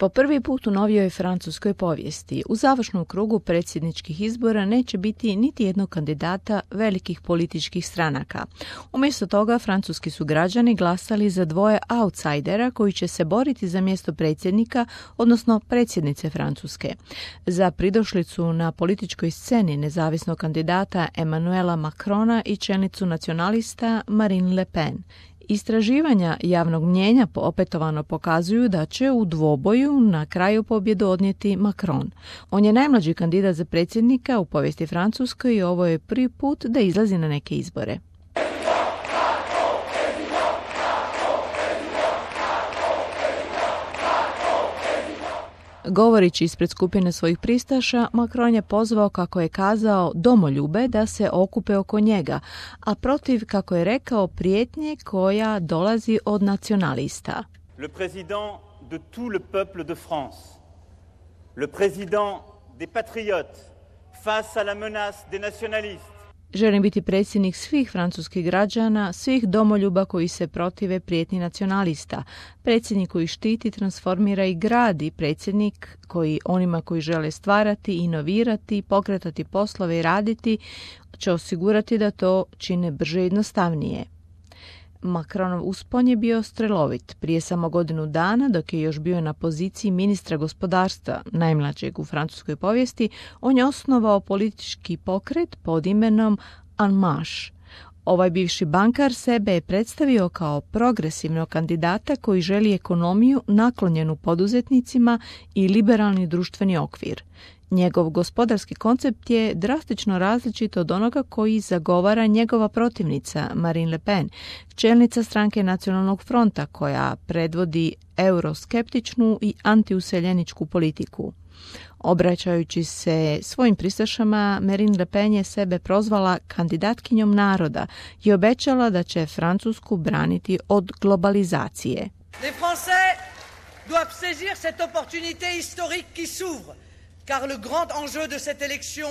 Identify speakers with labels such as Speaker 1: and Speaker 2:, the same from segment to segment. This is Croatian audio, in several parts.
Speaker 1: Po prvi put u novijoj francuskoj povijesti u završnom krugu predsjedničkih izbora neće biti niti jednog kandidata velikih političkih stranaka. Umjesto toga francuski su građani glasali za dvoje outsidera koji će se boriti za mjesto predsjednika, odnosno predsjednice Francuske. Za pridošlicu na političkoj sceni nezavisnog kandidata Emmanuela Macrona i čelnicu nacionalista Marine Le Pen. Istraživanja javnog mnijenja opetovano pokazuju da će u dvoboju na kraju pobjedu odnijeti Macron. On je najmlađi kandidat za predsjednika u povijesti Francuske i ovo je prvi put da izlazi na neke izbore. Govoreći ispred skupine svojih pristaša, Macron je pozvao, kako je kazao, domoljube da se okupe oko njega, a protiv, kako je rekao, prijetnje koja dolazi od nacionalista.
Speaker 2: Le président de tout le peuple de France, le président des patriotes face à la menace des nationalistes.
Speaker 1: Želim biti predsjednik svih francuskih građana, svih domoljuba koji se protive prijetnji nacionalista, predsjednik koji štiti, transformira i gradi, predsjednik koji onima koji žele stvarati, inovirati, pokretati poslove i raditi, će osigurati da to čine brže i jednostavnije. Macronov uspon je bio strelovit. Prije samo godinu dana, dok je još bio na poziciji ministra gospodarstva, najmlađeg u francuskoj povijesti, on je osnovao politički pokret pod imenom En Marche. Ovaj bivši bankar sebe je predstavio kao progresivnog kandidata koji želi ekonomiju naklonjenu poduzetnicima i liberalni društveni okvir. Njegov gospodarski koncept je drastično različit od onoga koji zagovara njegova protivnica Marine Le Pen, čelnica stranke Nacionalnog fronta koja predvodi euroskeptičnu i antiuseljeničku politiku. Obraćajući se svojim pristašama, Marine Le Pen je sebe prozvala kandidatkinjom naroda i obećala da će Francusku braniti od globalizacije.
Speaker 3: Les Français doivent saisir cette opportunité historique qui s'ouvre, car le grand enjeu de cette élection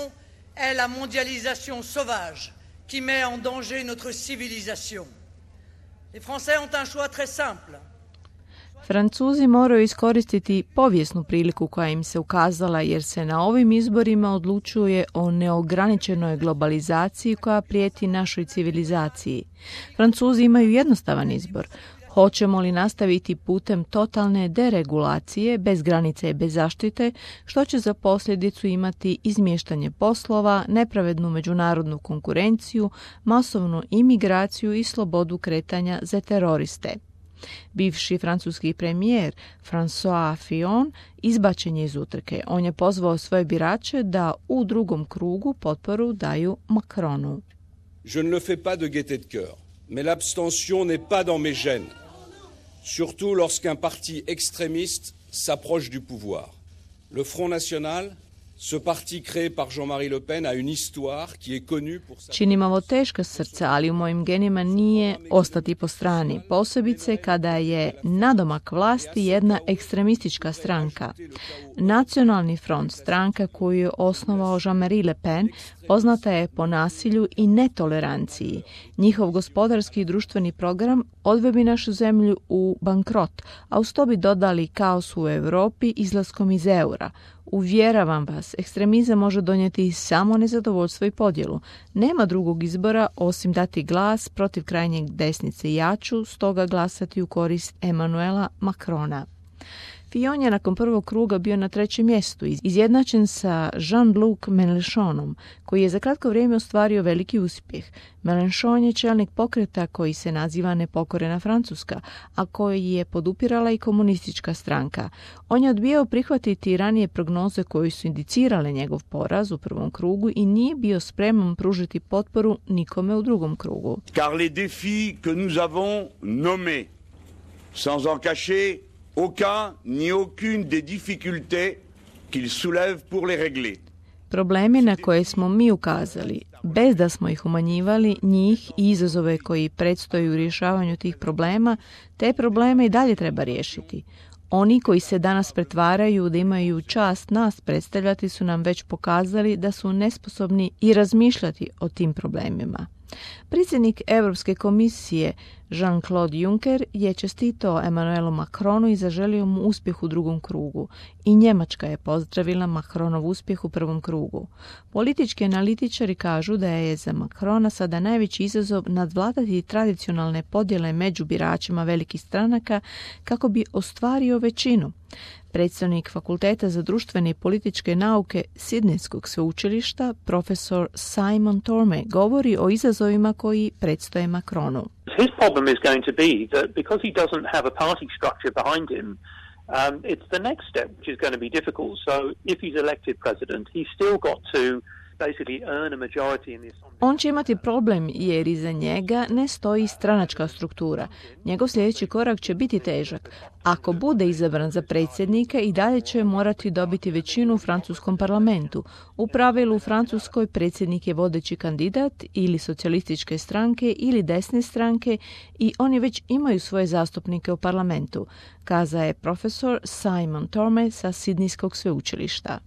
Speaker 3: est la mondialisation sauvage qui met en danger notre civilisation. Les Français ont un choix très simple.
Speaker 1: Francuzi moraju iskoristiti povijesnu priliku koja im se ukazala jer se na ovim izborima odlučuje o neograničenoj globalizaciji koja prijeti našoj civilizaciji. Francuzi imaju jednostavan izbor. Hoćemo li nastaviti putem totalne deregulacije, bez granice i bez zaštite, što će za posljedicu imati izmještanje poslova, nepravednu međunarodnu konkurenciju, masovnu imigraciju i slobodu kretanja za teroriste. Bivši francuski premijer François Fillon izbačen je iz utrke. On je pozvao svoje birače da u drugom krugu potporu daju Macronu.
Speaker 4: Je ne le fais pas de gaieté de cœur, mais l'abstention n'est pas dans mes gènes. Surtout lorsqu'un parti extrémiste s'approche du pouvoir. Le Front National, ce parti créé par Jean-Marie Le Pen, a une histoire qui est connue pour sa...
Speaker 1: Činim ovo teška srca, ali u mojim genima nije ostati po strani, posebice kada je nadomak vlasti jedna ekstremistička stranka. Nacionalni front, stranka koju je osnovao Jean-Marie Le Pen, poznata je po nasilju i netoleranciji. Njihov gospodarski i društveni program odveo bi našu zemlju u bankrot, a uz to bi dodali kaos u Europi izlaskom iz eura. Uvjeravam vas, ekstremizam može donijeti samo nezadovoljstvo i podjelu. Nema drugog izbora osim dati glas protiv krajnjeg desnice i ja ću stoga glasati u korist Emmanuela Macrona. Fillon je nakon prvog kruga bio na trećem mjestu, izjednačen sa Jean-Luc Mélenchonom, koji je za kratko vrijeme ostvario veliki uspjeh. Mélenchon je čelnik pokreta koji se naziva Nepokorena Francuska, a koji je podupirala i komunistička stranka. On je odbijao prihvatiti ranije prognoze koje su indicirale njegov poraz u prvom krugu i nije bio spreman pružiti potporu nikome u drugom krugu.
Speaker 5: Car les défis que nous avons nommés, sans en cacher aucun ni aucune des difficultés qu'il soulève pour les régler.
Speaker 1: Problemi na koje smo mi ukazali, bez da smo ih umanjivali, njih i izazove koji predstoje u rješavanju tih problema, te probleme i dalje treba riješiti. Oni koji se danas pretvaraju da imaju čast nas predstavljati su nam već pokazali da su nesposobni i razmišljati o tim problemima. Predsjednik Europske komisije Jean-Claude Juncker je čestitao Emmanuelu Macronu i zaželio mu uspjeh u drugom krugu. I Njemačka je pozdravila Macronov uspjeh u prvom krugu. Politički analitičari kažu da je za Macrona sada najveći izazov nadvladati tradicionalne podjele među biračima velikih stranaka kako bi ostvario većinu. Predstavnik Fakulteta za društvene i političke nauke Sidnejskog sveučilišta, profesor Simon Tormey, govori o izazovima koji predstoje Macronu.
Speaker 6: His problem is going to be that because he doesn't have a party structure behind him, it's the next step which is going to be difficult. So if he's elected president, he's still got to basically earn a majority in the assembly.
Speaker 1: On će imati problem jer iza njega ne stoji stranačka struktura. Njegov sljedeći korak će biti težak. Ako bude izabran za predsjednika, i dalje će morati dobiti većinu u francuskom parlamentu. U pravilu u Francuskoj predsjednik je vodeći kandidat ili socijalističke stranke ili desne stranke i oni već imaju svoje zastupnike u parlamentu, kazao je profesor Simon Tormey sa Sidnejskog sveučilišta.